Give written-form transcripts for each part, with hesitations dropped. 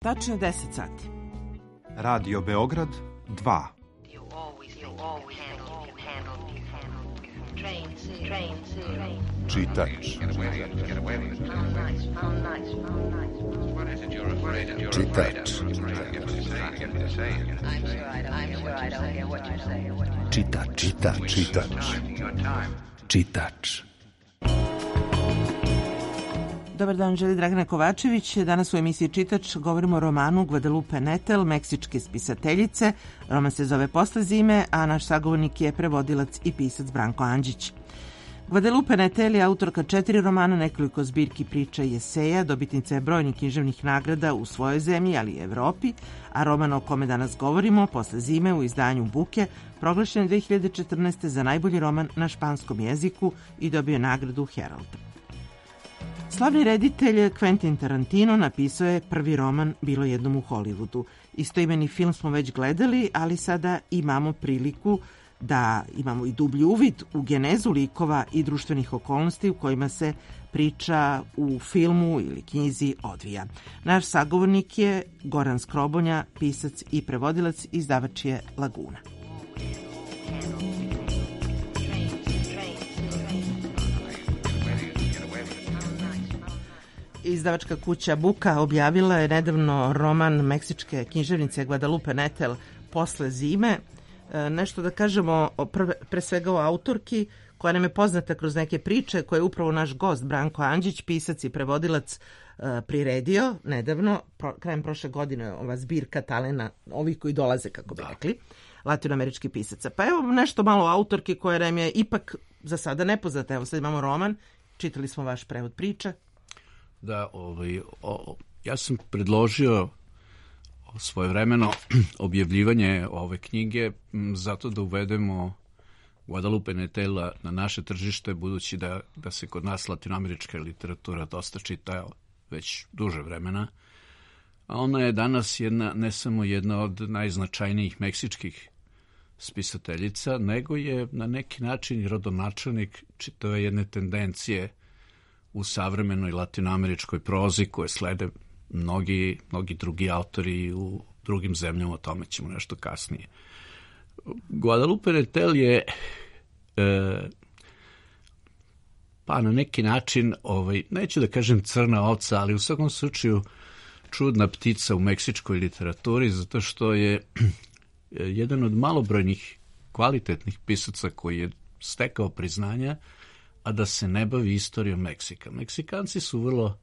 Tačno 10 sati. Radio Beograd 2. Čitač. Čitač. Čitač. Čitač. Dobar dan, želi Dragana Kovačević. Danas u emisiji Čitač govorimo o romanu Guadalupe Nettel, meksičke spisateljice. Roman se zove Posle zime, a naš sagovornik je prevodilac i pisac Branko Andžić. Guadalupe Nettel je autorka 4 romana, nekoliko zbirki priča i eseja, dobitnica je brojnih književnih nagrada u svojoj zemlji, ali i Evropi, a roman o kome danas govorimo, Posle zime, u izdanju Buke, proglašen 2014. za najbolji roman na španskom jeziku i dobio nagradu Herald. Slavni reditelj Quentin Tarantino napisao je prvi roman Bilo jednom u Hollywoodu. Istoimeni film smo već gledali, ali sada imamo priliku da imamo i dublji uvid u genezu likova i društvenih okolnosti u kojima se priča u filmu ili knjizi odvija. Naš sagovornik je Goran Skrobonja, pisac i prevodilac, izdavač je Laguna. Izdavačka kuća Buka objavila je nedavno roman meksičke književnice Guadalupe Nettel Posle zime. Nešto da kažemo pre svega o autorki koja nam je poznata kroz neke priče koje je upravo naš gost Branko Andžić, pisac i prevodilac, priredio nedavno, krajem prošle godine, ova zbirka talena, ovih koji dolaze, kako bi rekli, latinoameričkih pisaca. Pa evo nešto malo o autorki koja nam je ipak za sada nepoznata. Evo sad imamo roman, čitali smo vaš prevod priče. Da, ja sam predložio svojevremeno objavljivanje ove knjige zato da uvedemo Guadalupe Nettela na naše tržište, budući da se kod nas latinoamerička literatura dosta čita već duže vremena. A ona je danas ne samo jedna od najznačajnijih meksičkih spisateljica, nego je na neki način rodonačelnik čitave jedne tendencije u savremenoj latinoameričkoj prozi koje slede mnogi drugi autori u drugim zemljama, o tome ćemo nešto kasnije. Guadalupe Nettel je pa na neki način, neću da kažem crna ovca, ali u svakom slučaju čudna ptica u meksičkoj literaturi, zato što je jedan od malobrojnih kvalitetnih pisaca koji je stekao priznanja, a da se ne bavi istorijom Meksika. Meksikanci su vrlo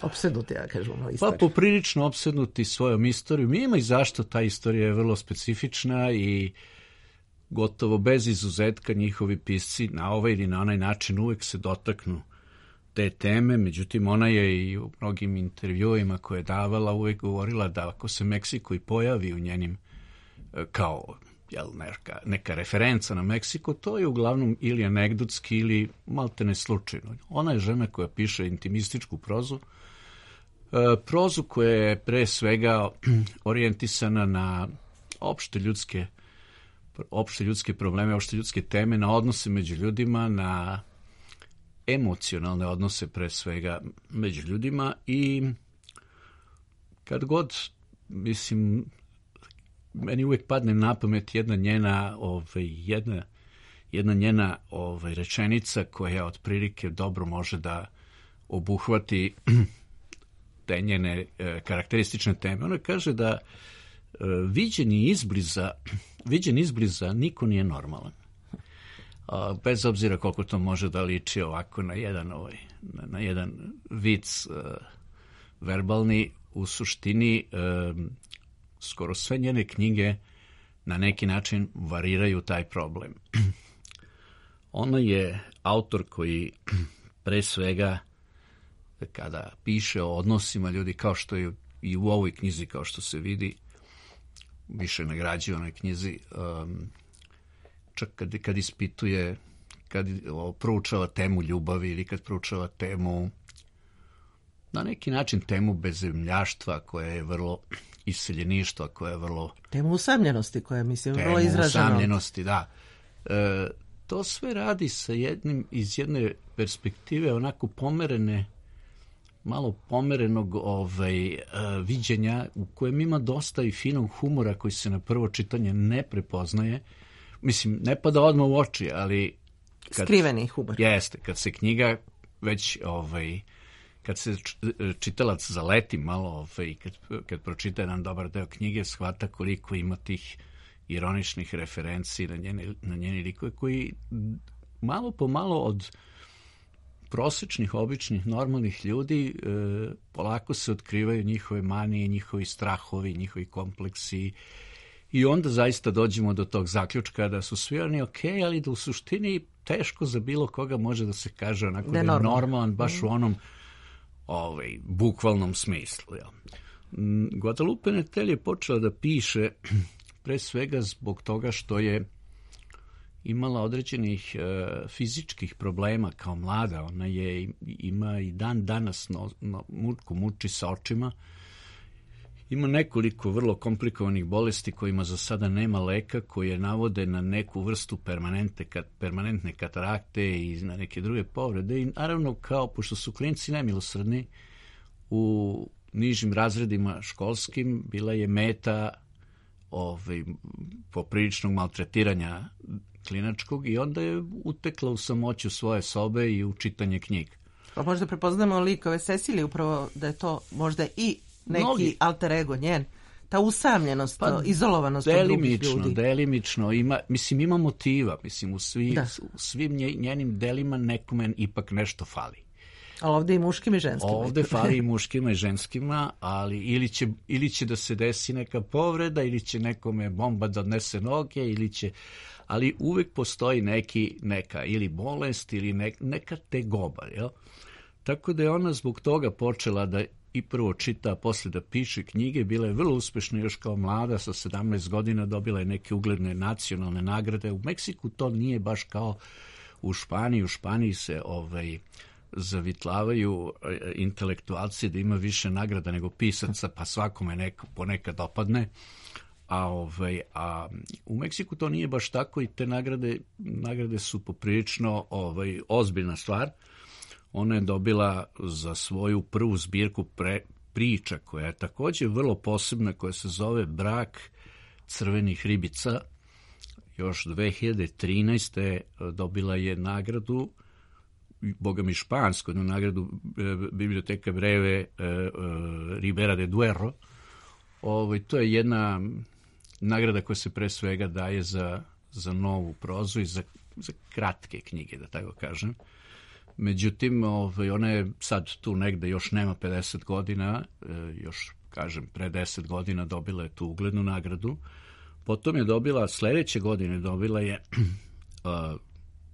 opsednuti, ja kažem, istoriju. Pa poprilično opsednuti svojom istorijom. Ima i zašto ta istorija je vrlo specifična i gotovo bez izuzetka njihovi pisci na ovaj ili na onaj način uvek se dotaknu te teme. Međutim, ona je i u mnogim intervjuima koje je davala uvek govorila da ako se Meksiko i pojavi u njenim kao neka referenca na Meksiko, to je uglavnom ili anegdotski ili maltene slučajno. Ona je žena koja piše intimističku prozu, prozu koja je pre svega orijentisana na opšte ljudske probleme, opšte ljudske teme, na odnose među ljudima, na emocionalne odnose pre svega među ljudima i kad god, mislim, meni uvijek padne na pamet jedna njena rečenica koja otprilike dobro može da obuhvati te njene karakteristične teme. Ona kaže da viđen izbliza niko nije normalan. Bez obzira koliko to može da liči ovako na jedan vic verbalni, u suštini skoro sve njene knjige na neki način variraju taj problem. Ona je autor koji pre svega kada piše o odnosima ljudi, kao što je i u ovoj knjizi, kao što se vidi, više nagrađuje onoj knjizi, čak kad ispituje, kad proučava temu ljubavi ili kad proučava temu, na neki način temu bezemljaštva koja je vrlo iseljeništva, koja je vrlo... Temu usamljenosti koja je, mislim, vrlo izražena. Temu usamljenosti, da. To sve radi iz jedne perspektive onako malo pomerenog viđenja u kojem ima dosta i finog humora koji se na prvo čitanje ne prepoznaje. Mislim, ne pada odmah u oči, ali... Skriveni humor. Jeste, kad se knjiga već... kad se čitalac zaleti malo i kad pročita jedan dobar deo knjige, shvata koliko ima tih ironičnih referenci na njeni likove koji malo po malo od prosečnih, običnih, normalnih ljudi polako se otkrivaju njihove manije, njihovi strahovi, njihovi kompleksi i onda zaista dođemo do tog zaključka da su svi oni okej, ali da u suštini teško za bilo koga može da se kaže onako da je normalan, baš u onom bukvalnom smislu. Ja. Guadalupe Nettel je počela da piše pre svega zbog toga što je imala određenih fizičkih problema kao mlada. Ona ima i dan danas muči sa očima. Ima nekoliko vrlo komplikovanih bolesti kojima za sada nema leka, koje navode na neku vrstu permanentne katarakte i na neke druge povrede. I naravno, pošto su klinci nemilosrdni, u nižim razredima školskim bila je meta popriličnog maltretiranja klinačkog i onda je utekla u samoću svoje sobe i u čitanje knjiga. Pa možda prepoznamo likove Cecilije, upravo da je to možda i neki alter ego njen, ta usamljenost, izolovanost od drugih ljudi. Delimično, ima motiva, u svim njenim delima nekome ipak nešto fali. Ali ovdje i muškim i ženskima. Ovdje fali i muškima i ženskima, ali ili će da se desi neka povreda, ili će nekome bomba da odnese noge, ali uvijek postoji neka ili bolest ili neka tegoba. Jel? Tako da je ona zbog toga počela da i prvo čita, a posle da piše knjige. Bila je vrlo uspešna još kao mlada, sa 17 godina dobila je neke ugledne nacionalne nagrade. U Meksiku to nije baš kao u Španiji. U Španiji se zavitlavaju intelektualci da ima više nagrada nego pisaca, pa svakome ponekad opadne. A u Meksiku to nije baš tako i te nagrade su poprilično ozbiljna stvar. Ona je dobila za svoju prvu zbirku priča, koja je također vrlo posebna, koja se zove Brak crvenih ribica. Još 2013. dobila je nagradu, boga mi špansku, jednu nagradu Biblioteka Breve Ribera de Duero. To je jedna nagrada koja se pre svega daje za novu prozu i za kratke knjige, da tako kažem. Međutim, ona je sad tu negde, još nema 50 godina, još kažem pre 10 godina dobila je tu uglednu nagradu. Potom je dobila, sledeće godine dobila je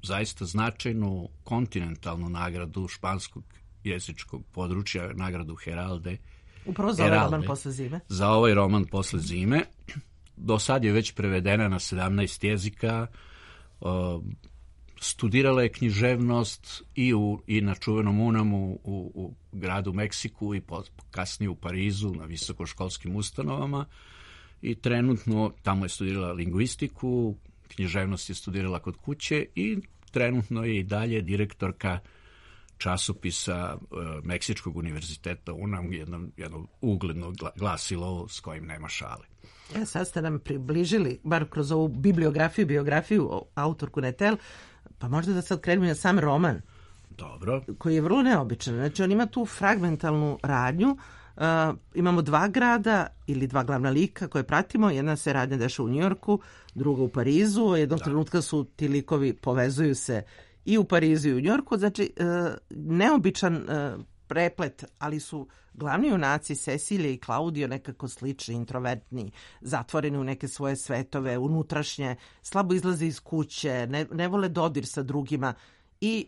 zaista značajnu kontinentalnu nagradu španskog jezičkog područja, nagradu Heralde. Upravo za ovaj roman posle zime. Za ovaj roman posle zime. Do sad je već prevedena na 17 jezika. Studirala je književnost i na čuvenom UNAM-u u gradu Meksiku i kasnije u Parizu na visokoškolskim ustanovama i trenutno tamo je studirala lingvistiku, književnost je studirala kod kuće i trenutno je i dalje direktorka časopisa Meksičkog univerziteta UNAM, jedno ugledno glasilo s kojim nema šale. Sad ste nam približili, bar kroz ovu biografiju autorku Nettel, pa možda da sad krenemo na sam roman. Dobro. Koji je vrlo neobičan. Znači, on ima tu fragmentalnu radnju. Imamo dva grada ili dva glavna lika koje pratimo. Jedna se radnja dešava u Njujorku, druga u Parizu. Jednog trenutka su ti likovi povezuju se i u Parizu i u Njujorku. Znači, neobičan preplet, ali su glavni junaci Cecilije i Claudio nekako slični, introvertni, zatvoreni u neke svoje svetove, unutrašnje, slabo izlaze iz kuće, ne vole dodir sa drugima i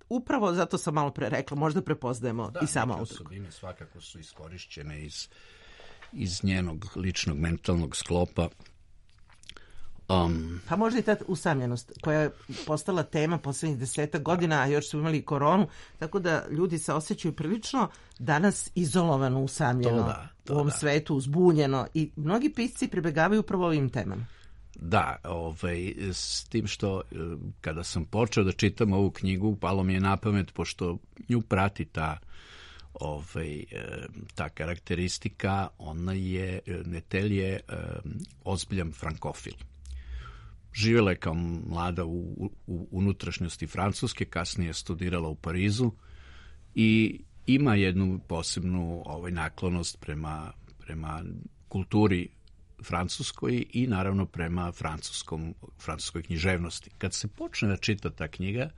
upravo zato sam malo pre rekla, možda prepoznajemo i samo autorku. Da, neke osobine svakako su iskorišćene iz njenog ličnog mentalnog sklopa. Pa možda i ta usamljenost koja je postala tema poslednjih 10 godina, a još su imali koronu, tako da ljudi se osjećaju prilično danas izolovano, usamljeno u ovom svetu, uzbunjeno i mnogi pisci pribegavaju upravo ovim temama. Da, s tim što kada sam počeo da čitam ovu knjigu, palo mi je na pamet, pošto nju prati ta ta karakteristika, Netel je ozbiljan frankofil. Živjela je kao mlada u unutrašnjosti Francuske, kasnije je studirala u Parizu i ima jednu posebnu naklonost prema kulturi francuskoj i naravno prema francuskoj književnosti. Kad se počne da čita ta knjiga,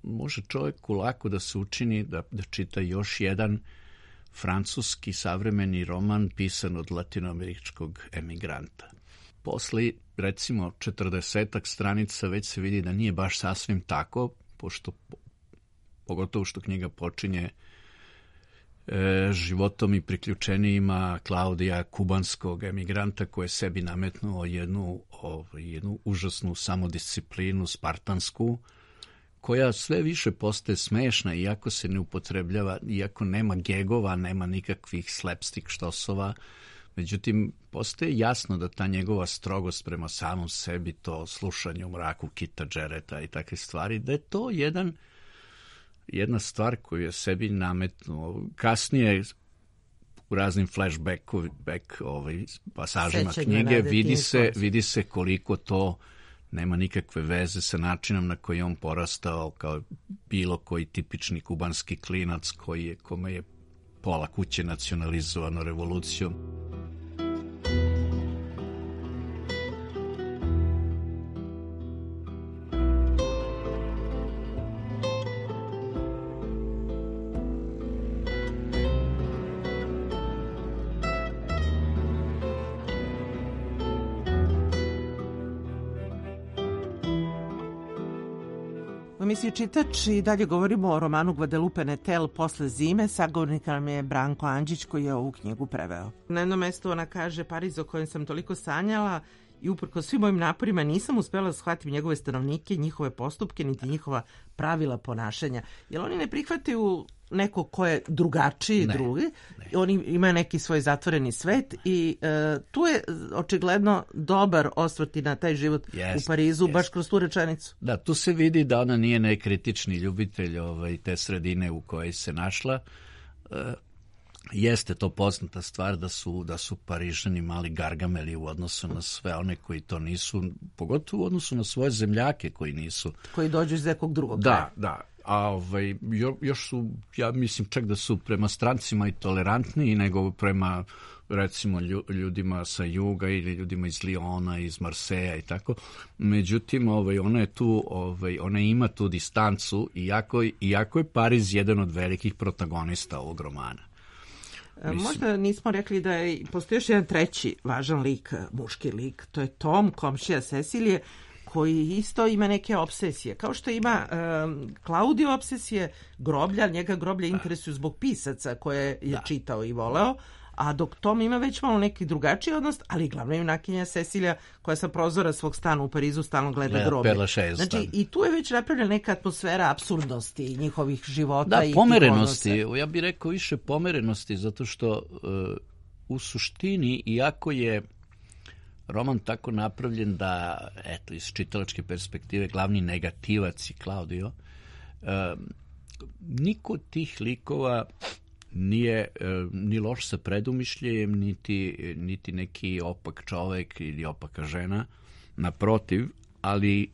može čovjeku lako da se učini da čita još jedan francuski savremeni roman pisan od latinoameričkog emigranta. Posle, recimo, 40 stranica već se vidi da nije baš sasvim tako, pogotovo što knjiga počinje životom i priključenijima Klaudija, kubanskog emigranta, koji je sebi nametnuo jednu užasnu samodisciplinu, spartansku, koja sve više postaje smešna, iako se ne upotrebljava, iako nema gegova, nema nikakvih slapstick štosova. Međutim, postaje jasno da ta njegova strogost prema samom sebi, to slušanje u mraku Kita Jarretta i takve stvari, da je to jedna stvar koju je sebi nametnuo. Kasnije, u raznim flashback pasažima knjige, vidi se koliko to nema nikakve veze sa načinom na koji je on porastao kao bilo koji tipični kubanski klinac kome je pola kuće nacionalizovano revolucijom. U emisiji Čitač i dalje govorimo o romanu Guadalupe Netel Posle zime. Sagovornik nam je Branko Andžić koji je ovu knjigu preveo. Na jednom mestu ona kaže: Pariz o kojem sam toliko sanjala i uprkos svim mojim naporima nisam uspela da shvatim njegove stanovnike, njihove postupke, niti njihova pravila ponašanja. Jer oni ne prihvataju neko ko je drugačiji drugi. Oni imaju neki svoj zatvoreni svet i tu je očigledno dobar osvrt na taj život u Parizu, baš kroz tu rečenicu. Da, tu se vidi da ona nije nekritični ljubitelj te sredine u kojoj se našla. Jeste to poznata stvar da su Parižani mali gargameli u odnosu na sve one koji to nisu, pogotovo u odnosu na svoje zemljake koji nisu. Koji dođu iz nekog drugog kraja. Da. A još su, ja mislim čak da su prema strancima i tolerantniji nego prema recimo ljudima sa juga ili ljudima iz Liona, iz Marseja i tako. Međutim, ona je tu, ona ima tu distancu, iako je Pariz jedan od velikih protagonista ovog romana. Možda nismo rekli da postoji još jedan treći važan lik, muški lik, to je Tom, komšija Cecilije, koji isto ima neke obsesije. Kao što ima Claudio obsesije groblja, njega groblja interesuju zbog pisaca koje je čitao i voleo, a dok Tom ima već malo neki drugačiji odnos, ali glavna junakinja Cecilija koja sa prozora svog stana u Parizu stalno gleda groblje. Znači, i tu je već napravljena neka atmosfera apsurdnosti njihovih života. Da, pomerenosti. Ja bih rekao više pomerenosti, zato što u suštini, iako je roman tako napravljen da, eto, iz čitalačke perspektive, glavni negativac je Claudio, niko od tih likova nije ni loš sa predumišljajem, niti neki opak čovek ili opaka žena. Naprotiv, ali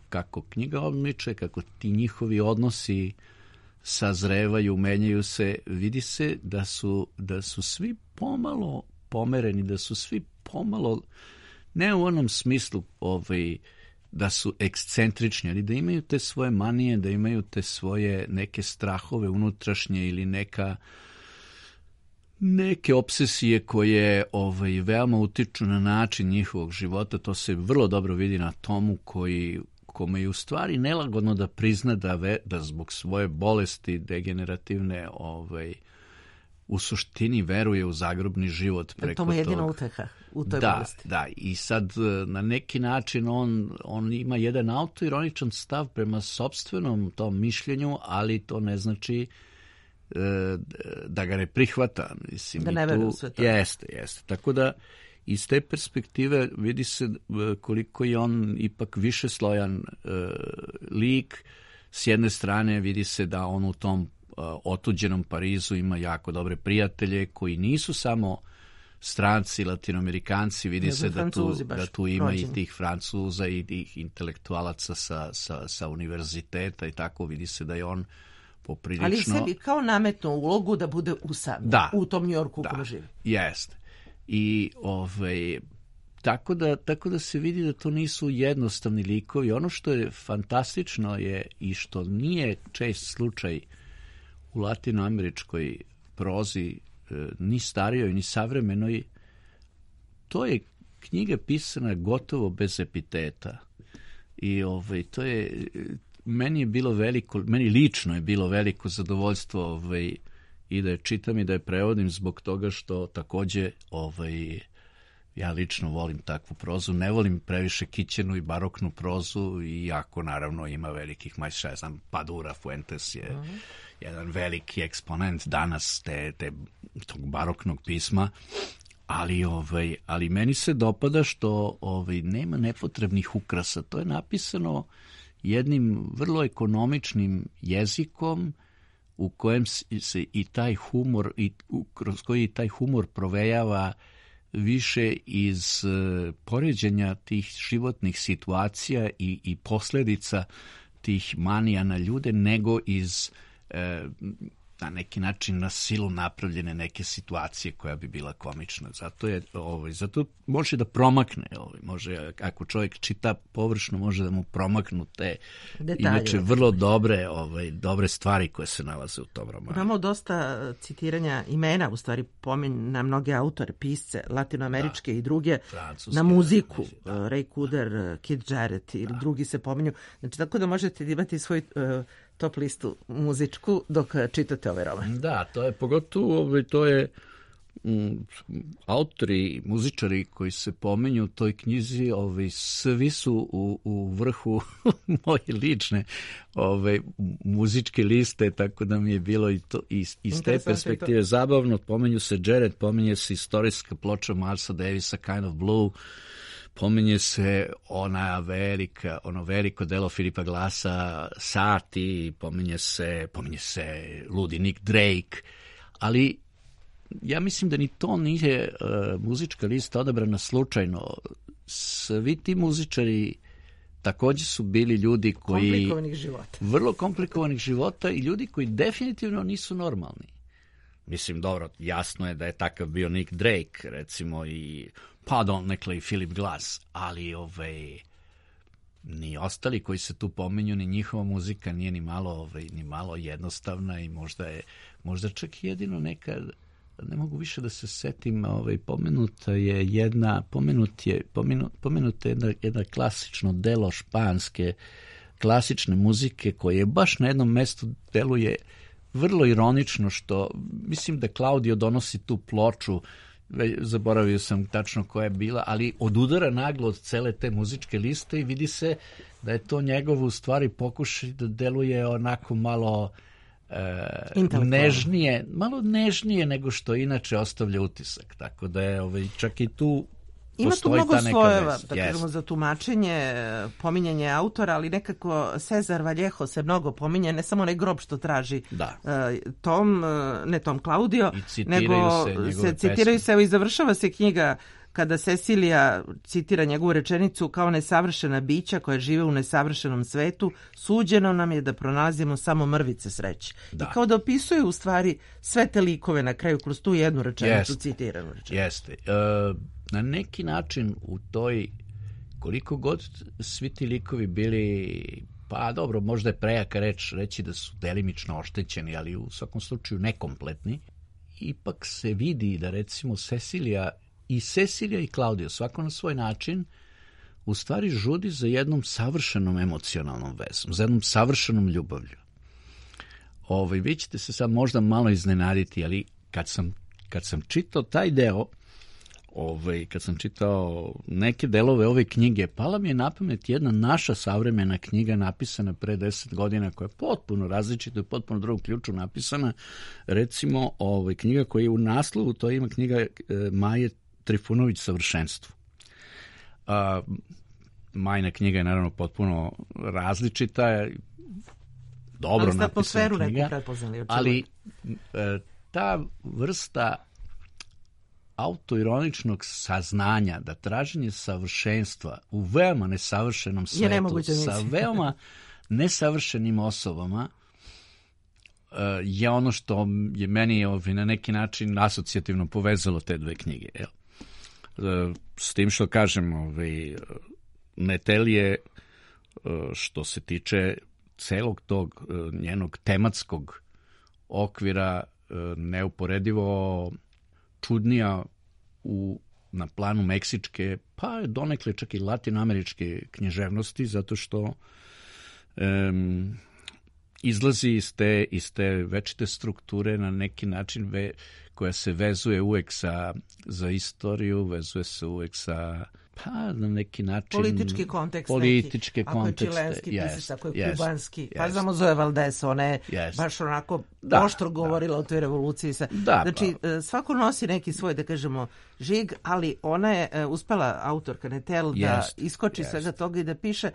kako knjiga odmiče, kako ti njihovi odnosi sazrevaju, menjaju se, vidi se da su svi pomalo pomereni, da su svi pomalo, ne u onom smislu da su ekscentrični, ali da imaju te svoje manije, da imaju te svoje neke strahove unutrašnje ili neke obsesije koje veoma utiču na način njihovog života. To se vrlo dobro vidi na Tomu kome je u stvari nelagodno da prizna da zbog svoje bolesti degenerativne u suštini veruje u zagrobni život preko toga. To mu je jedina uteha u toj bolesti. Da, i sad na neki način on ima jedan autoironičan stav prema sopstvenom tom mišljenju, ali to ne znači da ga ne prihvata. Mislim, da ne veruje u sve to. Jeste. Tako da iz te perspektive vidi se koliko je on ipak višeslojan lik. S jedne strane vidi se da on u tom otuđenom Parizu ima jako dobre prijatelje koji nisu samo stranci, latinoamerikanci, vidi se da tu ima i tih Francuza i tih intelektualaca sa univerziteta i tako, vidi se da je on poprilično... Ali sebi kao nametnu ulogu da bude usamljen u tom Njujorku u kojem živi. Jeste. I tako da se vidi da to nisu jednostavni likovi. Ono što je fantastično je i što nije čest slučaj u latinoameričkoj prozi, ni starijoj, ni savremenoj, to je knjiga pisana gotovo bez epiteta. I to je, meni lično je bilo veliko zadovoljstvo i da je čitam i da je prevodim zbog toga što takođe ja lično volim takvu prozu, ne volim previše kićenu i baroknu prozu, iako naravno ima velikih majstora, ja znam, Padura Fuentes je jedan veliki eksponent danas tog baroknog pisma, ali meni se dopada što nema nepotrebnih ukrasa. To je napisano jednim vrlo ekonomičnim jezikom u kojem se i taj humor, kroz koji taj humor provejava više iz poređenja tih životnih situacija i posljedica tih manija na ljude, nego iz na neki način na silu napravljene neke situacije koja bi bila komična. Zato može da promakne. Može, ako čovjek čita površno, može da mu promaknu te detalje, inače vrlo dobre stvari koje se nalaze u tom romanu. Imamo dosta citiranja imena, u stvari pominje na mnoge autore, pisce, latinoameričke i druge, na muziku, Ray Cooder, Keith Jarrett ili drugi se pominju. Znači, tako da možete imati svoj top listu muzičku dok čitate ovaj roman. Da, to je pogotovo, to je autori, muzičari koji se pominju u toj knjizi, svi su u vrhu moje lične muzičke liste, tako da mi je bilo i to iz te perspektive zabavno. Pominju se Jared, pominje se istorijska ploča Milesa Davisa Kind of Blue, pominje se ono veliko delo Filipa Glassa Sati, pominje se ludi Nick Drake, ali ja mislim da ni to nije muzička lista odabrana slučajno. Svi ti muzičari također su bili ljudi koji... Vrlo komplikovanih života i ljudi koji definitivno nisu normalni. Mislim, dobro, jasno je da je takav bio Nick Drake, recimo, i nekle i Philip Glass, ali ni ostali koji se tu pominju, ni njihova muzika nije ni malo jednostavna i možda čak jedino neka, ne mogu više da se setim, pomenuta je jedna klasično delo španske klasične muzike koje je baš na jednom mestu deluje vrlo ironično, što mislim da Claudio donosi tu ploču, zaboravio sam tačno koja je bila, ali odudara naglo od cele te muzičke liste i vidi se da je to njegovo u stvari pokušaj da deluje onako malo nežnije nego što inače ostavlja utisak. Tako da je čak i tu ima tu mnogo slojeva, da kažemo, za tumačenje, pominjanje autora, ali nekako Cesar Vallejo se mnogo pominje, ne samo onaj grob što traži Tom Claudio, nego se citiraju se, evo i završava se knjiga kada Cecilija citira njegovu rečenicu: kao nesavršena bića koja žive u nesavršenom svetu, suđeno nam je da pronalazimo samo mrvice sreće. I kao da opisuje u stvari sve te likove na kraju kroz tu jednu rečenicu, citiranu rečenicu. Jeste. Na neki način u toj, koliko god svi ti likovi bili, pa dobro, možda je prejaka reći da su delimično oštećeni, ali u svakom slučaju nekompletni, ipak se vidi da recimo Cecilija i Claudio, svako na svoj način, u stvari žudi za jednom savršenom emocionalnom vezom, za jednom savršenom ljubavlju. Vi ćete se sad možda malo iznenaditi, ali kad sam čitao taj deo, kad sam čitao neke delove ove knjige, pala mi je na pamet jedna naša savremena knjiga napisana pre 10 godina, koja je potpuno različita i potpuno drugom ključu napisana. Recimo, knjiga koja je u naslovu, to ima knjiga Maje Trifunović Savršenstvo. Majina knjiga je naravno potpuno različita, dobro napisana atmosferu knjiga, neku prepoznali, ali ta vrsta autoironičnog saznanja da traženje savršenstva u veoma nesavršenom svetu sa veoma nesavršenim osobama je ono što je meni na neki način asocijativno povezalo te dve knjige. S tim što kažem, Nettel je, što se tiče celog tog njenog tematskog okvira, neuporedivo čudnija na planu meksičke, pa donekle čak i latinoameričke književnosti, zato što izlazi iz te večite strukture na neki način koja se vezuje uvek za istoriju, vezuje se uvek sa, pa na neki način politički kontekst, ako je čilenski pisac, ako je kubanski, pa znamo Zoe Valdez, ona je baš onako oštro govorila o toj revoluciji. Znači, svako nosi neki svoj, da kažemo, žig, ali ona je uspela, autorka Nettel, da iskoči svega toga i da piše.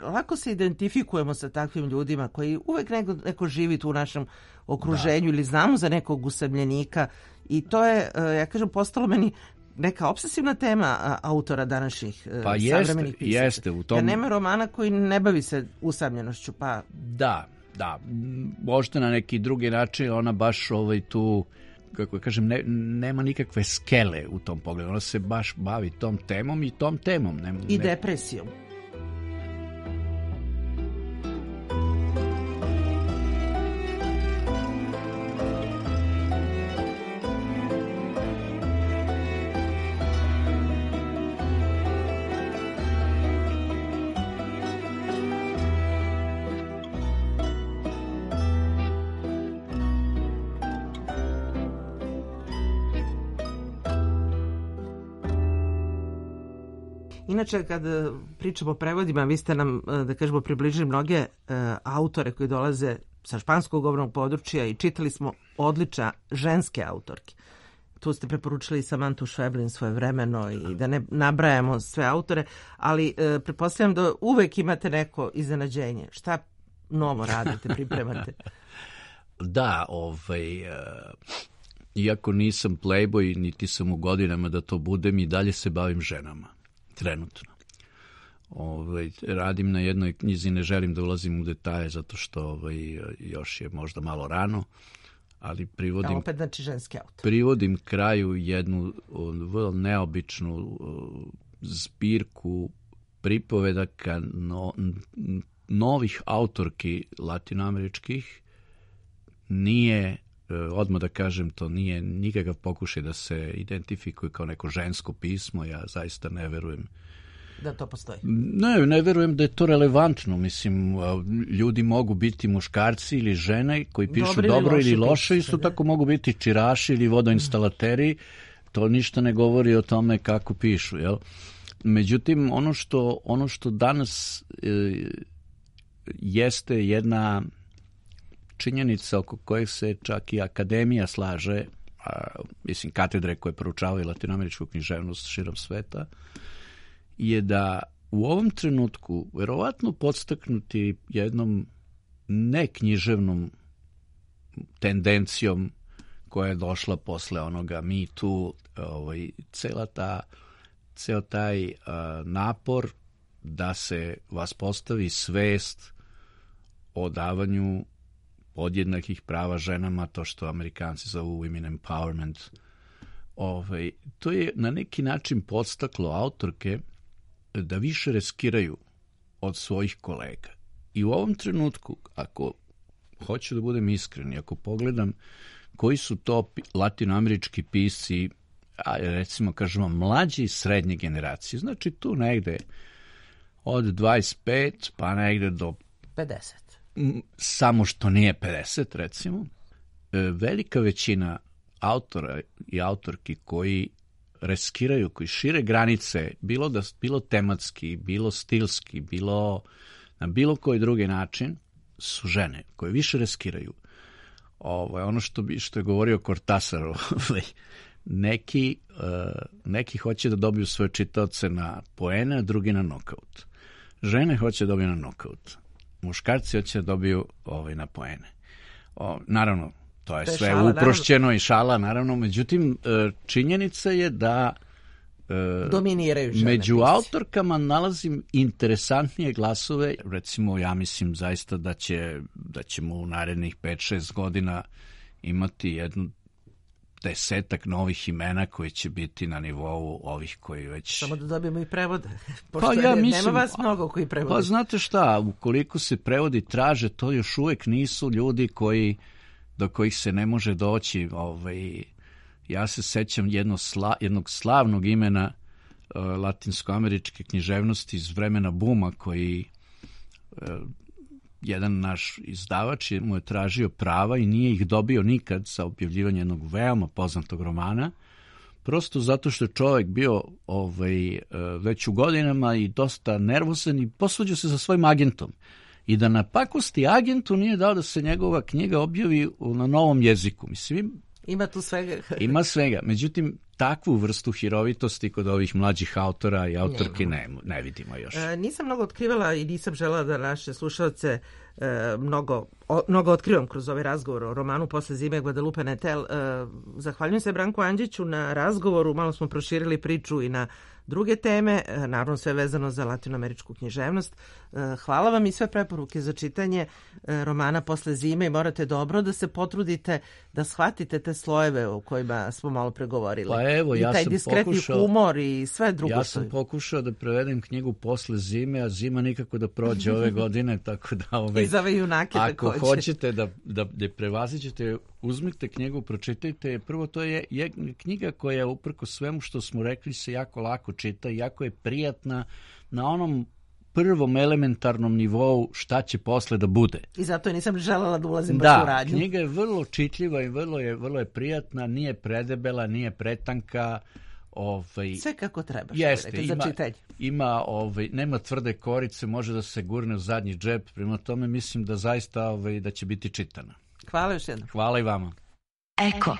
Lako se identifikujemo sa takvim ljudima koji uvek neko živi tu u našem okruženju ili znamo za nekog usamljenika i to je, ja kažem, postalo meni neka obsesivna tema autora današnjih savremenih pisaca. Jeste, u tom... Ja nema romana koji ne bavi se usamljenošću, pa... Da, možda na neki drugi način ona baš tu, kako kažem, nema nikakve skele u tom pogledu. Ona se baš bavi tom temom i tom temom. I depresijom. Inače, kad pričamo o prevodima, vi ste nam, da kažemo, približili mnoge autore koji dolaze sa španskog govornog područja i čitali smo odlične ženske autorke. Tu ste preporučili Samantu Schweblin svojevremeno i da ne nabrajamo sve autore, ali pretpostavljam da uvek imate neko iznenađenje. Šta novo radite, pripremate? Da, iako nisam playboy, niti sam u godinama da to budem, i dalje se bavim ženama. Trenutno. Radim na jednoj knjizi, ne želim da ulazim u detalje zato što još je možda malo rano, ali privodim, opet znači ženski autor. Privodim kraju jednu vrlo neobičnu zbirku pripovedaka novih autorki latinoameričkih. Nije, odmah da kažem, to nije nikakav pokušaj da se identifikuje kao neko žensko pismo. Ja zaista ne verujem da to postoji. Ne verujem da je to relevantno. Mislim, ljudi mogu biti muškarci ili žene koji pišu dobro ili loše, isto tako mogu biti čiraši ili vodoinstalateri. To ništa ne govori o tome kako pišu, jel? Međutim, ono što danas jeste jedna činjenica oko kojeg se čak i akademija slaže, mislim katedre koje proučavaju latinoameričku književnost širom sveta, je da u ovom trenutku, verovatno podstaknuti jednom neknjiževnom tendencijom koja je došla posle onoga Me Too, ceo taj napor da se vas postavi svest o davanju podjednakih prava ženama, to što Amerikanci zovu women empowerment. To je na neki način podstaklo autorke da više riskiraju od svojih kolega. I u ovom trenutku, ako hoću da budem iskren, ako pogledam koji su to latinoamerički pisci, recimo kažemo mlađe i srednje generacije, znači tu negde od 25 pa negde do 50. Samo što nije 50, recimo. Velika većina autora i autorki koji riskiraju, koji šire granice, bilo tematski, bilo stilski, bilo na bilo koji drugi način, su žene koje više riskiraju. Ono što je govorio Cortázar, neki hoće da dobiju svoje čitaoce na poene, a drugi na nokaut. Žene hoće da dobiju na nokaut. muškarci hoće da dobiju na poene. Naravno, to je sve šala, uprošćeno i šala, naravno, međutim, činjenica je da dominiraju žene. Među autorkama nalazim interesantnije glasove, recimo ja mislim zaista da ćemo u narednih 5-6 godina imati jednu 10 novih imena koji će biti na nivou ovih koji već... Samo da dobijemo i prevode, pošto mislim, nema vas mnogo koji prevode. Pa znate šta, ukoliko se prevodi traže, to još uvek nisu ljudi do kojih se ne može doći. Ja se sećam jednog slavnog imena latinskoameričke književnosti iz vremena buma, koji jedan naš izdavač mu je tražio prava i nije ih dobio nikad za objavljivanje jednog veoma poznatog romana, prosto zato što je čovjek bio već u godinama i dosta nervozan i posvađao se sa svojim agentom. I da na pakosti agentu nije dao da se njegova knjiga objavi na novom jeziku. Mislim, ima tu svega. Ima svega. Međutim, takvu vrstu hirovitosti kod ovih mlađih autora i autorki ne vidimo još. Nisam mnogo otkrivala i nisam žela da naše slušalce mnogo otkrivam kroz ovaj razgovor o romanu Posle zime Guadalupe Nettel. Zahvaljujem se Branku Andžiću na razgovoru, malo smo proširili priču i na druge teme, naravno sve vezano za latinoameričku književnost. Hvala vam i sve preporuke za čitanje romana Posle zime i morate dobro da se potrudite da shvatite te slojeve o kojima smo malo pregovorili. Pa evo, i taj diskretni humor i sve drugo. Ja sam pokušao da prevedem knjigu Posle zime, a zima nikako da prođe ove godine, tako da i za ove junake ako hoćete da prevaziđete, uzmite knjigu, pročitajte. Prvo, to je knjiga koja uprkos svemu što smo rekli se jako lako čita i jako je prijatna na onom prvom elementarnom nivou šta će posle da bude. I zato nisam želela da ulazim baš u radnju. Da, knjiga je vrlo čitljiva i vrlo je prijatna, nije predebela, nije pretanka. Sve kako treba. Jeste, nema tvrde korice, može da se gurne u zadnji džep, prema tome mislim da zaista da će biti čitana. Hvala još jednom. Hvala i vama. Eko.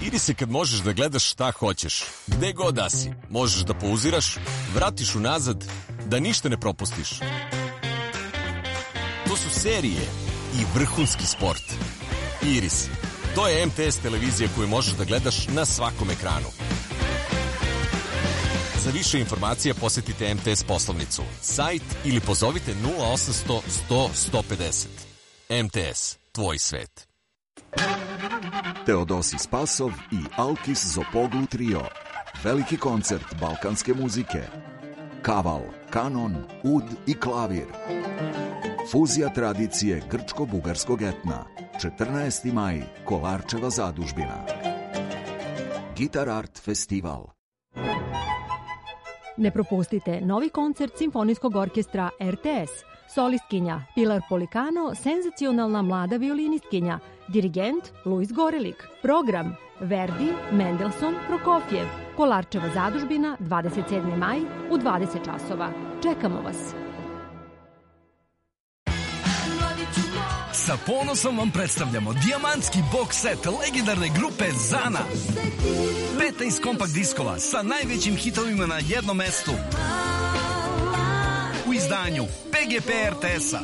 Iris je kad možeš da gledaš šta hoćeš, gde god da si, možeš da pauziraš, vratiš unazad, da ništa ne propustiš. To su serije i vrhunski sport. Iris, to je MTS televizija koju možeš da gledaš na svakom ekranu. Za više informacija posetite MTS poslovnicu, sajt ili pozovite 0800 100 150. MTS, tvoj svet. Teodosi Spasov i Alkis Zopoglu trio. Veliki koncert balkanske muzike. Kaval, kanon, ud i klavir. Fuzija tradicije grčko-bugarskog etna. 14. maj, Kolarčeva zadužbina. Gitar Art festival. Ne propustite novi koncert Simfonijskog orkestra RTS. Solistkinja Pilar Polikano, senzacionalna mlada violinistkinja. Dirigent Luis Gorelik. Program Verdi, Mendelssohn, Prokofjev. Kolarčeva zadužbina, 27. maj u 20 časova. Čekamo vas. Sa ponosom vam predstavljamo dijamantski box set legendarne grupe Zana. 15 kompakt diskova sa najvećim hitovima na jednom mestu. U izdanju PGP RTS-a.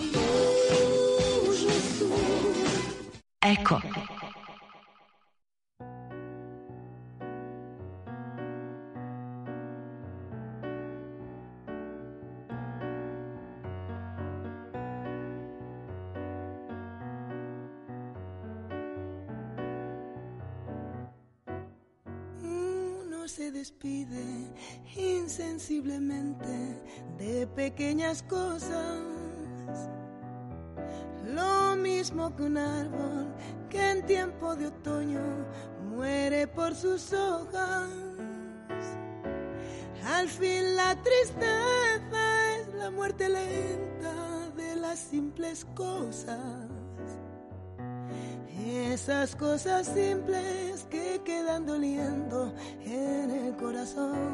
Eko. Se despide insensiblemente de pequeñas cosas, lo mismo que un árbol que en tiempo de otoño muere por sus hojas. Al fin la tristeza es la muerte lenta de las simples cosas. Esas cosas simples que quedan doliendo en el corazón.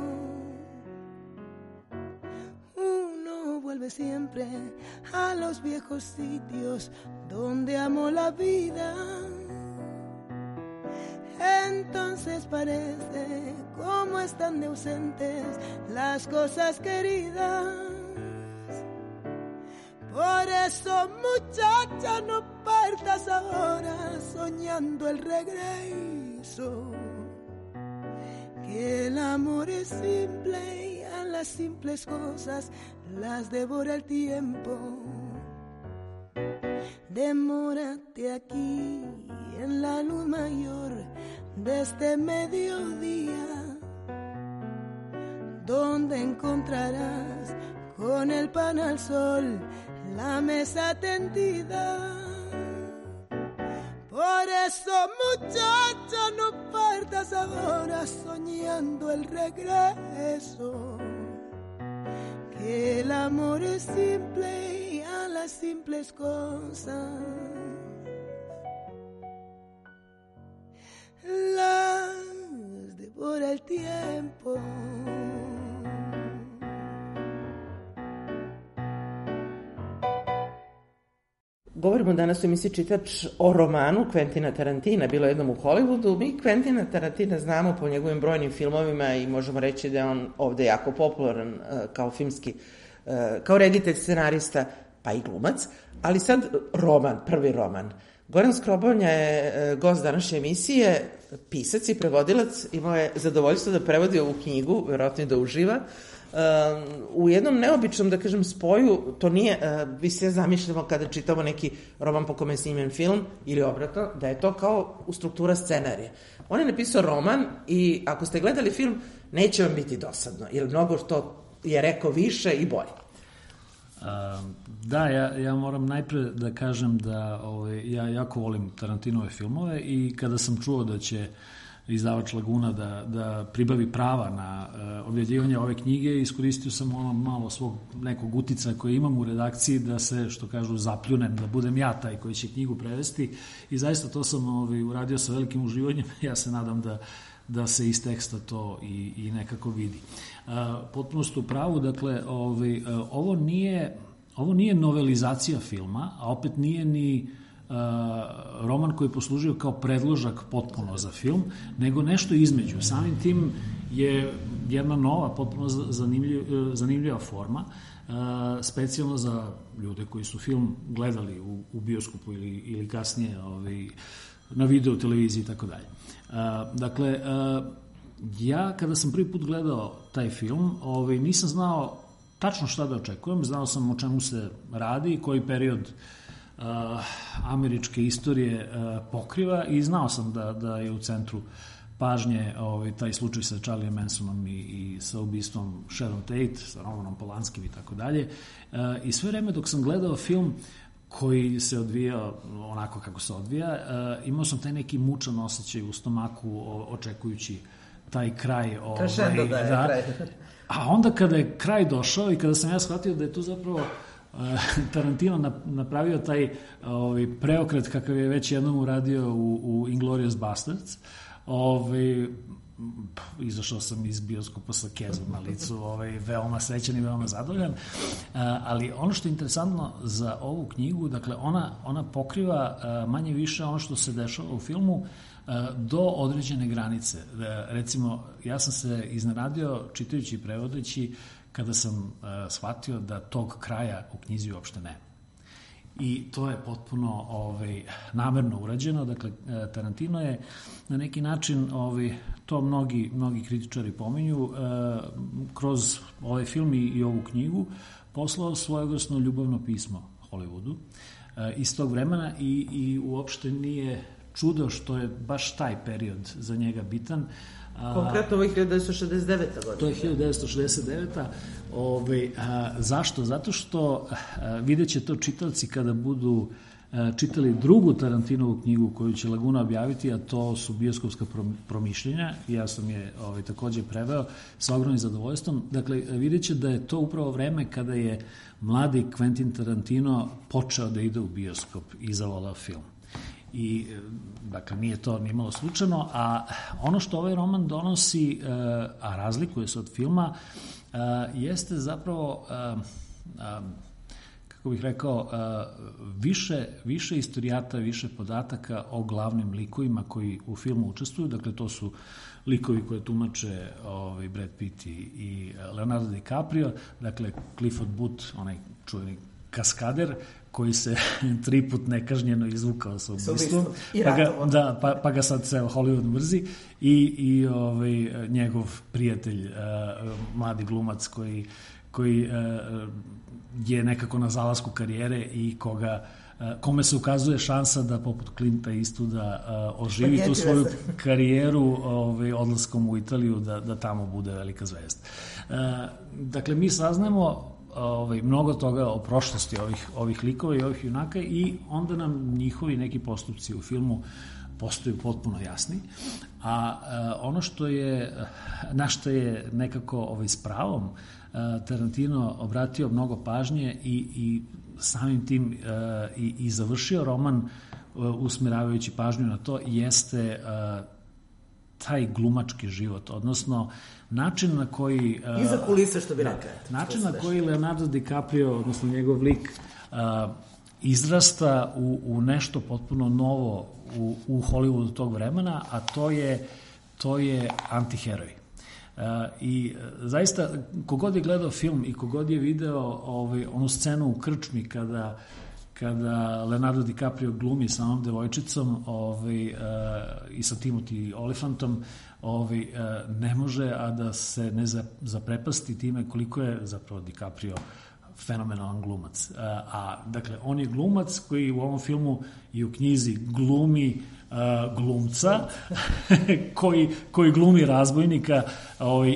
Uno vuelve siempre a los viejos sitios donde amó la vida. Entonces parece como están de ausentes las cosas queridas. Por eso, muchacha, no partas ahora soñando el regreso. Que el amor es simple y a las simples cosas las devora el tiempo. Demórate aquí en la luz mayor de este mediodía, donde encontrarás con el pan al sol la mesa tendida. Por eso, muchacha, no partas ahora soñando el regreso. Que el amor es simple y a las simples cosas las devora el tiempo. Govorimo danas u emisiji Čitač o romanu Quentina Tarantina, Bilo jednom u Hollywoodu. Mi Quentina Tarantina znamo po njegovim brojnim filmovima i možemo reći da je on ovde jako popularan kao filmski, kao reditelj, scenarista, pa i glumac. Ali sad roman, prvi roman. Goran Skrobonja je gost današnje emisije, pisac i prevodilac. Imao je zadovoljstvo da prevodi ovu knjigu, verovatno i da uživa. U jednom neobičnom, da kažem, spoju, to nije, vi sve zamišljamo kada čitamo neki roman po kome je snimljen film ili obratno, da je to kao u struktura scenarija. On je napisao roman i ako ste gledali film, neće vam biti dosadno, jer mnogo što je rekao više i bolje. Da, ja moram najpre da kažem da ja jako volim Tarantinove filmove i kada sam čuo da će izdavač Laguna da pribavi prava na objavljivanje ove knjige, iskoristio sam ono malo svog nekog utica koje imam u redakciji da se, što kažu, zapljunem, da budem ja taj koji će knjigu prevesti i zaista to sam uradio sa velikim uživanjem. Ja se nadam da se iz teksta to i nekako vidi. Potpuno ste u pravu, dakle, ovo nije novelizacija filma, a opet nije ni roman koji je poslužio kao predložak potpuno za film, nego nešto između. Samim tim je jedna nova, potpuno zanimljiva forma, specijalno za ljude koji su film gledali u bioskopu ili kasnije na video, televiziji i tako dalje. Dakle, ja kada sam prvi put gledao taj film, nisam znao tačno šta da očekujem, znao sam o čemu se radi i koji period američke istorije pokriva i znao sam da je u centru pažnje taj slučaj sa Charlie Mansonom i sa ubistvom Sharon Tate, sa Romanom Polanskim i tako dalje. I sve vreme dok sam gledao film koji se odvijao onako kako se odvija, imao sam taj neki mučan osjećaj u stomaku očekujući taj kraj. Krešendo da je kraj. A onda kada je kraj došao i kada sam ja shvatio da je to zapravo Tarantino napravio taj preokret kakav je već jednom uradio u Inglourious Basterds, izašao sam iz bioskopa sa kezom na licu, veoma srećan i veoma zadovoljan, ali ono što je interesantno za ovu knjigu, dakle ona pokriva manje više ono što se dešava u filmu do određene granice. Recimo, ja sam se iznenadio čitajući i prevodeći kada sam shvatio da tog kraja u knjizi uopšte nema. I to je potpuno namerno urađeno. Dakle, Tarantino je na neki način, to mnogi kritičari pominju, kroz ovaj film i ovu knjigu poslao svojevrsno ljubavno pismo Hollywoodu iz tog vremena i uopšte nije čudo što je baš taj period za njega bitan. Konkretno ovo je 1969. godina. To je 1969. Zašto? Zato što vidjet će to čitaoci kada budu čitali drugu Tarantinovu knjigu koju će Laguna objaviti, a to su bioskopska promišljenja. Ja sam je takođe preveo sa ogromnim zadovoljstvom. Dakle, vidjet će da je to upravo vreme kada je mladi Quentin Tarantino počeo da ide u bioskop i zavolao film. I, dakle, nije to nimalo slučajno, a ono što ovaj roman donosi, a razlikuje se od filma, jeste zapravo, kako bih rekao, više istorijata, više podataka o glavnim likovima koji u filmu učestvuju. Dakle, to su likovi koje tumače Brad Pitt i Leonardo DiCaprio, dakle, Clifford Booth, onaj čuveni kaskader koji se 3 put nekažnjeno izvukao sa ubistvom, pa ga sad ceo Hollywood mrzi i njegov prijatelj, mladi glumac koji je nekako na zalasku karijere i kome se ukazuje šansa da poput Clinta Eastwooda oživi tu svoju karijeru odlaskom u Italiju, da tamo bude velika zvezda. Dakle, mi saznajemo mnogo toga o prošlosti ovih likova i ovih junaka i onda nam njihovi neki postupci u filmu postaju potpuno jasni, a ono na što je nekako s pravom Tarantino obratio mnogo pažnje i samim tim i završio roman usmeravajući pažnju na to, jeste taj glumački život, odnosno način na koji... Iza kulisa, što bi rekao. Način na koji Leonardo DiCaprio, odnosno njegov lik, izrasta u nešto potpuno novo u Hollywoodu tog vremena, a to je antiheroj. I zaista, kogod je gledao film i kogod je video onu scenu u krčmi kada Leonardo DiCaprio glumi sa onom devojčicom i sa Timothy Olyphantom, ne može a da se ne zaprepasti time koliko je zapravo DiCaprio fenomenalan glumac. Dakle, on je glumac koji u ovom filmu i u knjizi glumi glumca koji glumi razbojnika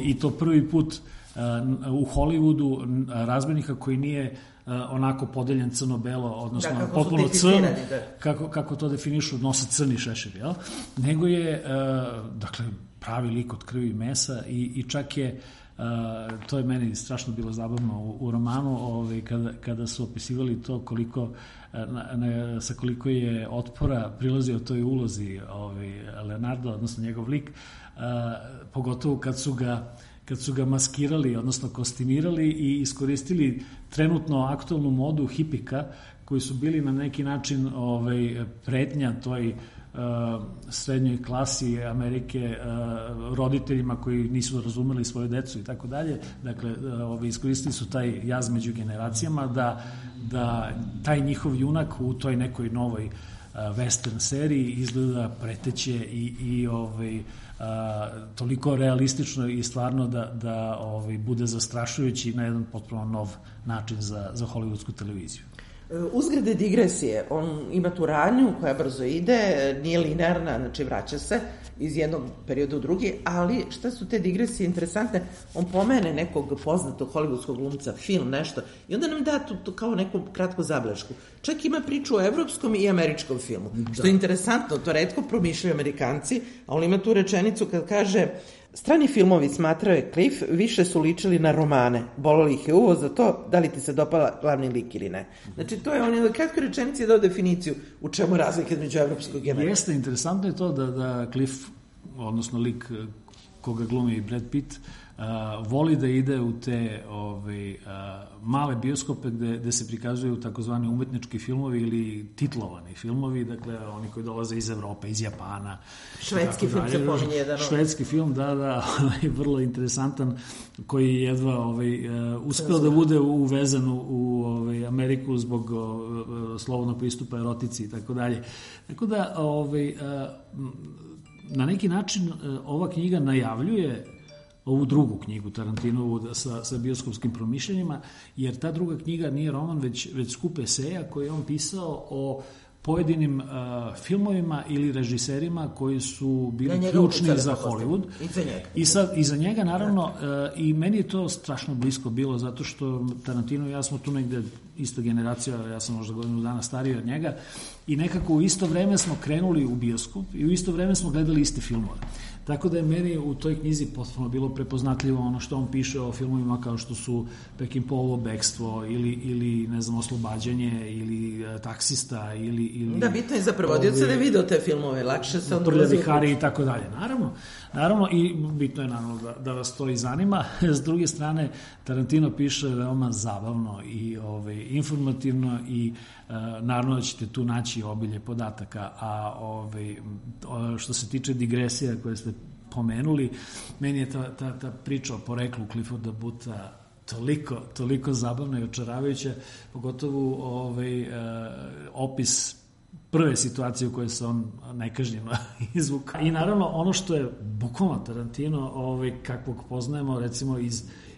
i to prvi put u Hollywoodu, razbojnika koji nije onako podeljen crno-belo, odnosno potpuno crn, kako to definišu, nose crni šešir, jel? Nego je, dakle, pravi lik od krvi i mesa i čak je, to je meni strašno bilo zabavno u romanu, kada su opisivali to sa koliko je otpora prilazio toj ulozi Leonardo, odnosno njegov lik, pogotovo kad su ga maskirali, odnosno kostimirali i iskoristili trenutno aktualnu modu hipika, koji su bili na neki način pretnja toj srednjoj klasi Amerike, roditeljima koji nisu razumeli svoju decu i tako dalje. Dakle, iskoristili su taj jaz među generacijama da taj njihov junak u toj nekoj novoj western seriji izgleda preteće i toliko realistično i stvarno da bude zastrašujući na jedan potpuno nov način za hollywoodsku televiziju. Uzgrade digresije, on ima tu radnju koja brzo ide, nije linearna, znači vraća se iz jednog perioda u drugi, ali šta su te digresije interesantne? On pomene nekog poznatog hollywoodskog glumca, film, nešto, i onda nam da tu kao neku kratku zabelešku. Čak ima priču o evropskom i američkom filmu, što je interesantno, to retko promišljaju Amerikanci, a on ima tu rečenicu kad kaže: strani filmovi, smatrao je Cliff, više su ličili na romane. Bolelo ih je uvo za to da li ti se dopala glavni lik ili ne. Znači, to je on je kratko rečenici dao definiciju u čemu razlika između evropskog i američkog. Jeste, interesantno je to da Cliff, odnosno lik koga glumi Brad Pitt, voli da ide u te male bioskope gde se prikazuju takozvani umetnički filmovi ili titlovani filmovi, dakle oni koji dolaze iz Evrope, iz Japana. Švedski film se pominje jedan. Švedski film, da, vrlo interesantan, koji je jedva uspeo da bude uvezan u Ameriku zbog slobodnog pristupa erotici i tako dalje. Tako da, na neki način ova knjiga najavljuje ovu drugu knjigu Tarantinovu sa bioskopskim promišljenjima, jer ta druga knjiga nije roman, već skup eseja koje je on pisao o pojedinim filmovima ili režiserima koji su bili ključni za Hollywood. I za njega, naravno, i meni je to strašno blisko bilo, zato što Tarantino i ja smo tu negde ista generacija, ja sam možda godinu dana stariji od njega, i nekako u isto vreme smo krenuli u bioskop i u isto vreme smo gledali iste filmove. Tako da je meni u toj knjizi potpuno bilo prepoznatljivo ono što on piše o filmovima kao što su Peckinpahovo Bekstvo ili ne znam, Oslobađanje ili Taksista ili da, bitno je za prevodioca da je video te filmove, lakše se on dolazi i tako dalje. Naravno, i bitno je naravno da vas to i zanima. S druge strane, Tarantino piše veoma zabavno i informativno i naravno da ćete tu naći obilje podataka, a što se tiče digresija koje ste pomenuli, meni je ta priča o poreklu Clifforda Bootha toliko zabavno i očaravajuće, pogotovo opis prve situacije u kojoj se on nekažnjeno izvuka. I naravno ono što je bukvalno Tarantino, kakvog poznajemo recimo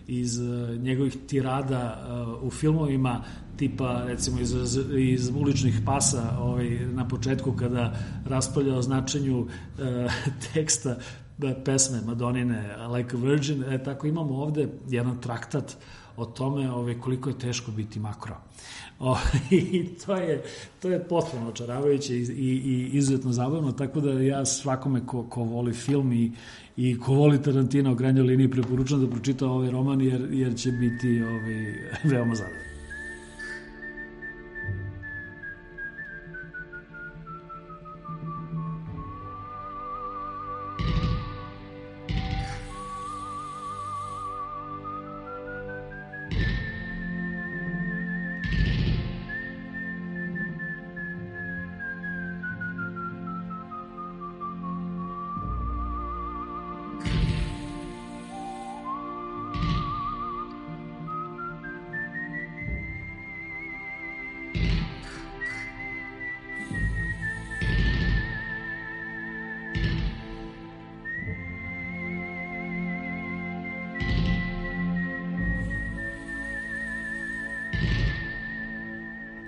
iz njegovih tirada u filmovima, tipa recimo iz Uličnih pasa na početku kada raspravlja o značenju teksta pesme Madonine Like a Virgin, tako imamo ovde jedan traktat o tome koliko je teško biti makro. I to je potpuno očaravajuće i izuzetno zabavno, tako da ja svakome ko voli film i ko voli Tarantina u krajnjoj liniji preporučam da pročita ovaj roman jer će biti veoma zadovoljno.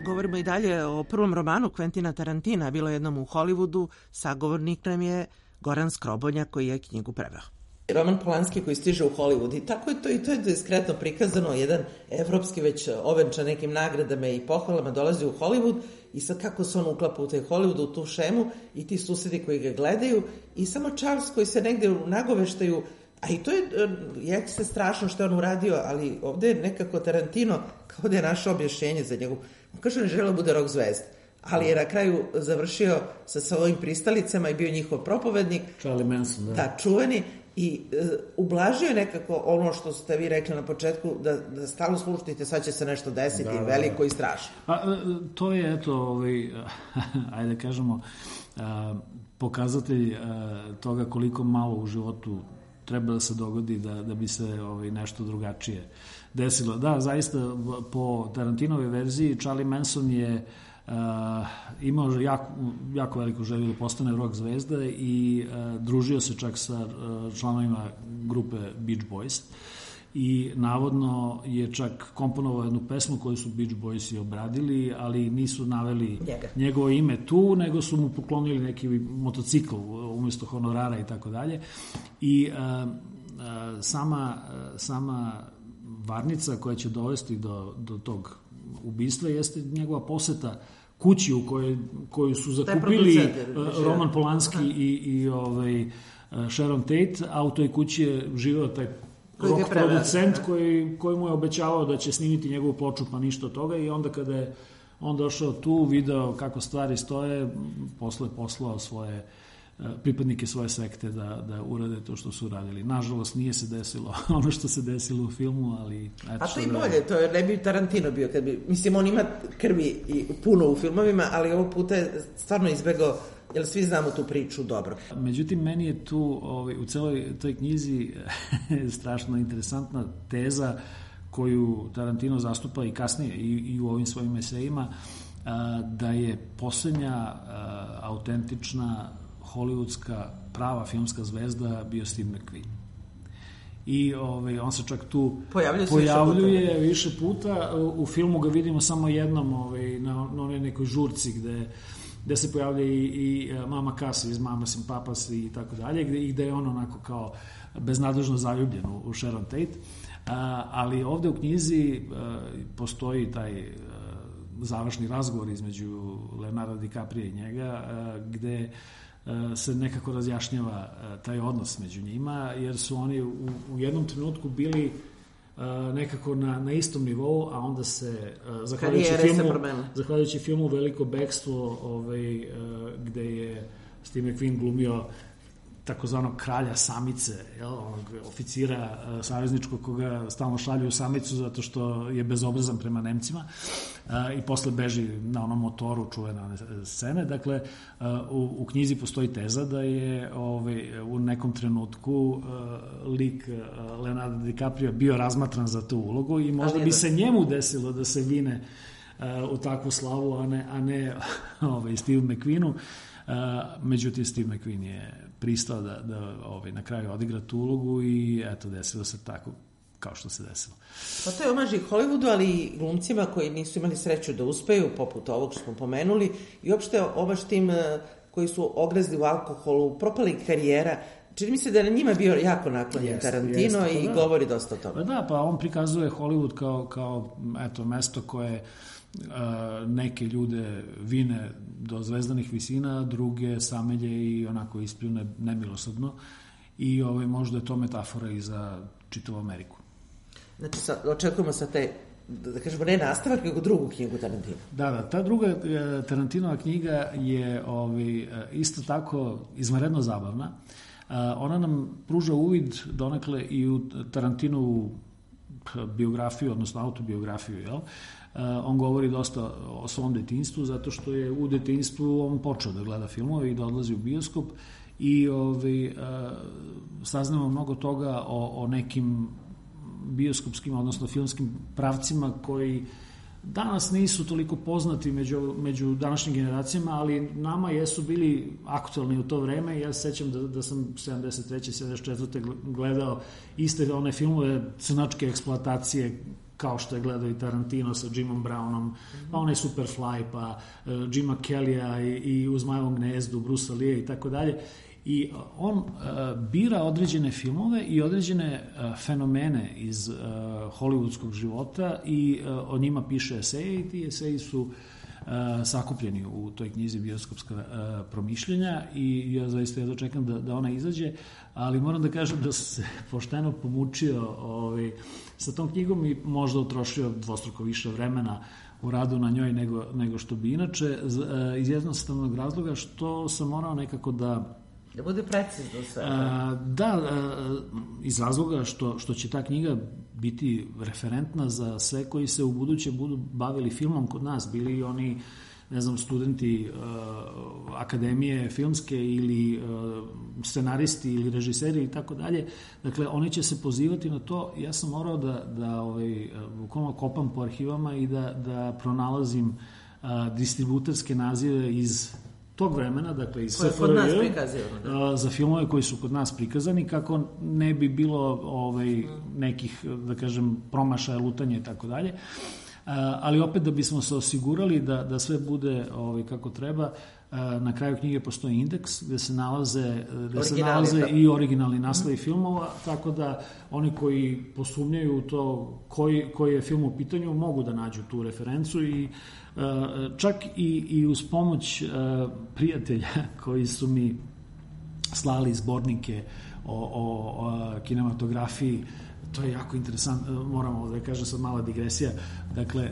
Govorimo i dalje o prvom romanu Quentina Tarantina, Bilo jednom u Hollywoodu. Sagovornik nam je Goran Skrobonja koji je knjigu preveo. Roman Polanski koji stiže u Hollywood i tako je to, i to je diskretno prikazano, jedan evropski već ovenčan nekim nagradama i pohvalama dolazi u Hollywood i sad kako se on uklapa u taj Hollywood, u tu šemu i ti susedi koji ga gledaju i samo Charles koji se negde nagoveštaju, a i to je se strašno što je on uradio, ali ovde je nekako Tarantino kao da je našao objašnjenje za njegov. On kaže, ne želeo bude rock zvezda, ali je na kraju završio sa svojim pristalicama i bio njihov propovednik. Charlie Manson, da. Da, čuveni. I ublažio nekako ono što ste vi rekli na početku, da stalno slušajte, sad će se nešto desiti, veliko i strašno. To je, eto, ajde kažemo, pokazatelj toga koliko malo u životu treba da se dogodi da bi se nešto drugačije desilo. Da, zaista, po Tarantinove verziji, Charlie Manson je imao jako veliku želju da postane rock zvezda i družio se čak sa članovima grupe Beach Boys i navodno je čak komponovao jednu pesmu koju su Beach Boysi obradili, ali nisu naveli njegovo ime tu, nego su mu poklonili neki motocikl umjesto honorara i tako dalje. I sama varnica koja će dovesti do tog ubistva jeste njegova poseta kući u koju su zakupili Roman Polanski i Sharon Tate, a u toj kući je živeo taj rock producent koji mu je obećavao da će snimiti njegovu ploču, pa ništa od toga, i onda kada je on došao tu, video kako stvari stoje, posle je poslao svoje pripadnike svoje sekte da urade to što su uradili. Nažalost, nije se desilo ono što se desilo u filmu, ali... A to i bolje, to ne bi Tarantino bio, mislim, on ima krvi i puno u filmovima, ali ovog puta je stvarno izbegao, jer svi znamo tu priču dobro. Međutim, meni je tu u celoj toj knjizi strašno interesantna teza koju Tarantino zastupa i kasnije i u ovim svojim esejima, da je posljednja autentična hollywoodska prava filmska zvezda bio Steve McQueen. I on se čak tu pojavljuje više puta. U filmu ga vidimo samo jednom na onoj nekoj žurci gde se pojavlja i Mama Cass iz Mamas and Papas i tako dalje, i gde je on onako kao beznadežno zaljubljen u Sharon Tate. Ali ovde u knjizi postoji taj završni razgovor između Leonardo DiCaprio i njega, gde se nekako razjašnjava taj odnos među njima, jer su oni u jednom trenutku bili nekako na istom nivou, a onda se zahvaljujući filmu Veliko bekstvo, gde je Steve McQueen glumio takozvanog kralja samice, onog oficira savezničkog koga stalno šalju u samicu zato što je bezobrazan prema Nemcima i posle beži na onom motoru, čuvene one scene. Dakle, u knjizi postoji teza da je u nekom trenutku lik Leonardo DiCaprio bio razmatran za tu ulogu i možda bi se njemu desilo da se vine u takvu slavu, a ne Steve McQueenu. Međutim, Steve McQueen je pristao da na kraju odigra tu ulogu i eto, desilo se tako kao što se desilo. Pa to je omaž i Hollywoodu, ali i glumcima koji nisu imali sreću da uspeju, poput ovog što smo pomenuli, i uopšte omaž tim koji su ogrezli u alkoholu, propali karijera. Čini mi se da je na njima bio jako naklonjen Tarantino i govori dosta o tome. Pa on prikazuje Hollywood kao eto, mesto koje neke ljude vine do zvezdanih visina, druge samelje i onako ispljune nemilosrdno i možda je to metafora i za čitavu Ameriku. Znači, očekujemo sa te, da kažemo, ne nastavak, nego drugu knjigu Tarantina. Da, ta druga Tarantinova knjiga je isto tako izvanredno zabavna. Ona nam pruža uvid donekle i u Tarantinovu biografiju, odnosno autobiografiju, jel? On govori dosta o svom detinjstvu, zato što je u detinjstvu on počeo da gleda filmove i da odlazi u bioskop i saznamo mnogo toga o nekim bioskopskim, odnosno filmskim pravcima koji danas nisu toliko poznati među današnjim generacijama, ali nama jesu bili aktualni u to vreme. Ja se sećam da sam 73. 74. gledao iste one filmove crnačke eksploatacije, kao što je gledao i Tarantino sa Jimom Brownom, pa onaj Superfly, pa Jima Kellya i U zmajevom gnezdu, Bruce Lee i tako dalje. I on bira određene filmove i određene fenomene iz hollywoodskog života i o njima piše eseje i ti eseji su sakupljeni u toj knjizi Bioskopska promišljenja i ja zaista jedno čekam da ona izađe, ali moram da kažem da sam se pošteno pomučio sa tom knjigom i možda utrošio dvostruko više vremena u radu na njoj nego što bi inače, iz jednostavnog razloga što sam morao nekako da bude precizno sve. Iz razloga što će ta knjiga biti referentna za sve koji se u buduće budu bavili filmom kod nas, bili oni, ne znam, studenti akademije filmske ili scenaristi ili režiseri i tako dalje. Dakle, oni će se pozivati na to. Ja sam morao da bukvalno kopam po arhivama i da pronalazim distributerske nazive iz tog vremena, dakle iz SFRJ, za filmove koji su kod nas prikazani, kako ne bi bilo nekih, da kažem, promašaja, lutanja i tako dalje. Ali opet da bismo se osigurali da sve bude kako treba, na kraju knjige postoji indeks gde se nalaze i originalni naslovi filmova, tako da oni koji posumnjaju u to koji je film u pitanju mogu da nađu tu referencu i čak i uz pomoć prijatelja koji su mi slali zbornike o kinematografiji. To je jako interesantno, moramo da kažem sad mala digresija. Dakle,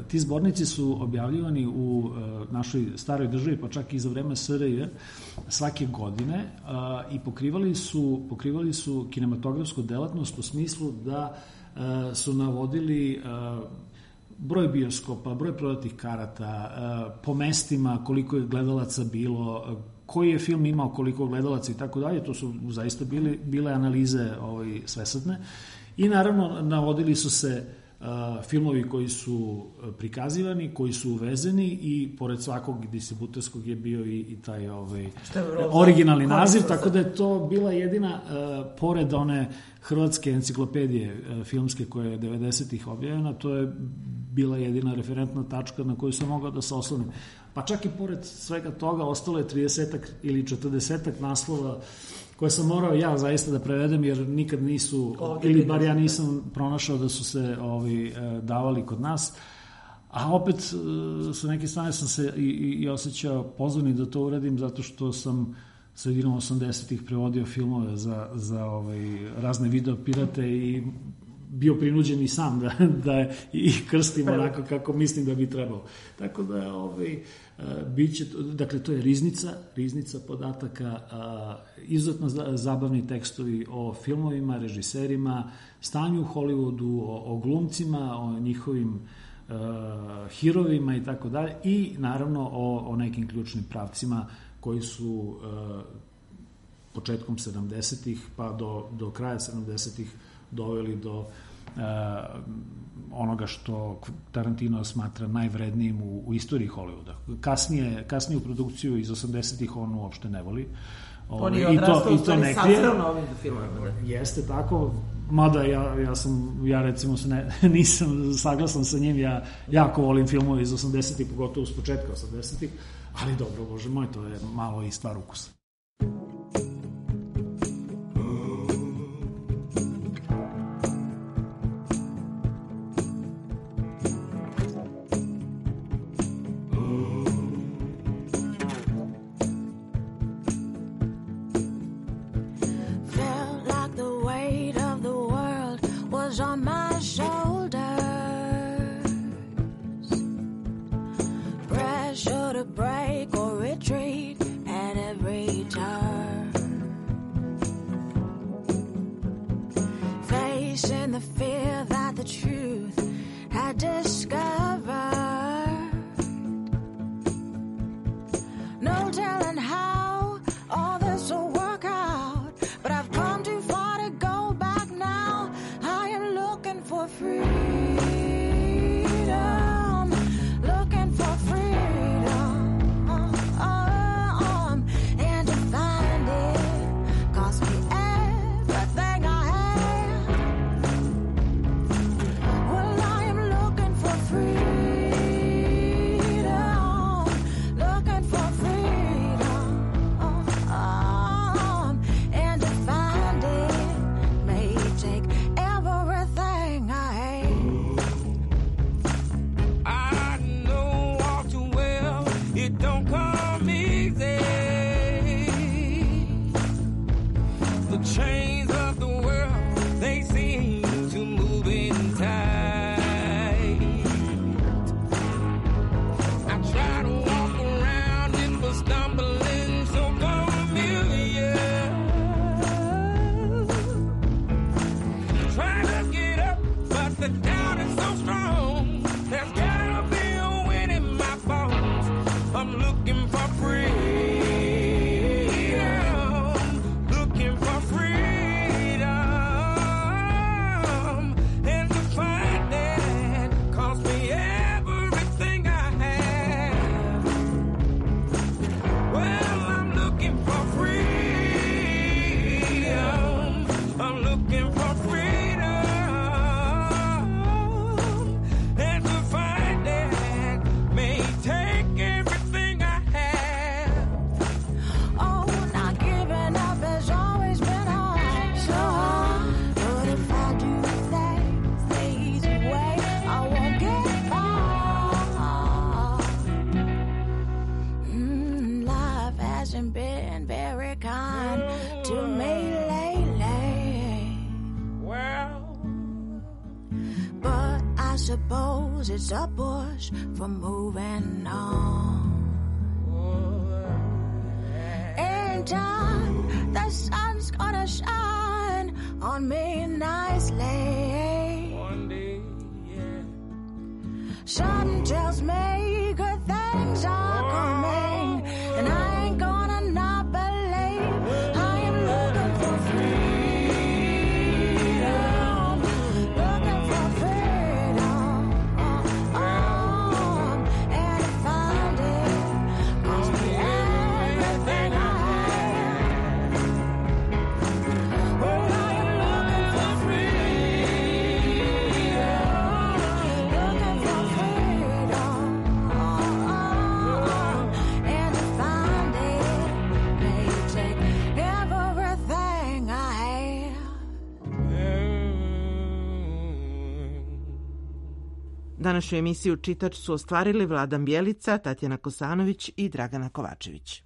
ti zbornici su objavljivani u našoj staroj državi, pa čak i za vreme SRJ, svake godine i pokrivali su kinematografsku delatnost u smislu da su navodili broj bioskopa, broj prodatih karata, po mestima koliko je gledalaca bilo, koji je film imao koliko gledalaca i tako dalje. To su zaista bile analize svesrdne. I naravno navodili su se filmovi koji su prikazivani, koji su uvezeni i pored svakog distributerskog je bio i taj originalni naziv, tako da je to bila jedina, pored one hrvatske enciklopedije filmske koja je 90-ih objavljena, to je bila jedina referentna tačka na koju sam mogao da se oslonim. Pa čak i pored svega toga ostalo je 30-ak ili 40-ak naslova koje sam morao ja zaista da prevedem, jer nikad nisu, ili bar ja nisam pronašao da su se davali kod nas. A opet, sa neke strane sam se i osjećao pozvani da to uradim, zato što sam sredinom 80-ih prevodio filmove za razne video pirate i bio prinuđen i sam da i krstim onako kako mislim da bi trebalo. Tako da biće, dakle to je riznica podataka, izuzetno zabavni tekstovi o filmovima, režiserima, stanju u Hollywoodu, o glumcima, o njihovim hirovima i tako dalje, i naravno o nekim ključnim pravcima koji su početkom 70-ih pa do kraja 70-ih doveli do onoga što Tarantino smatra najvrednijim u istoriji Hollywooda. Kasniju produkciju iz 80-ih on uopšte ne voli. On je odrastao u stvari sazreo na ovim filmovima. Jeste tako, mada ja recimo nisam saglasan sa njim, ja jako volim filmove iz 80-ih, pogotovo s početka 80-ih, ali dobro, bože moj, to je malo i stvar ukusa. It's a push for moving on. In time, the sun's gonna shine on me nicely. One day, yeah. Something tells me good things are coming, and I ain't gonna not believe. I am looking for freedom, looking for freedom. Današnju emisiju Čitač su ostvarili Vladan Bjelica, Tatjana Kosanović i Dragana Kovačević.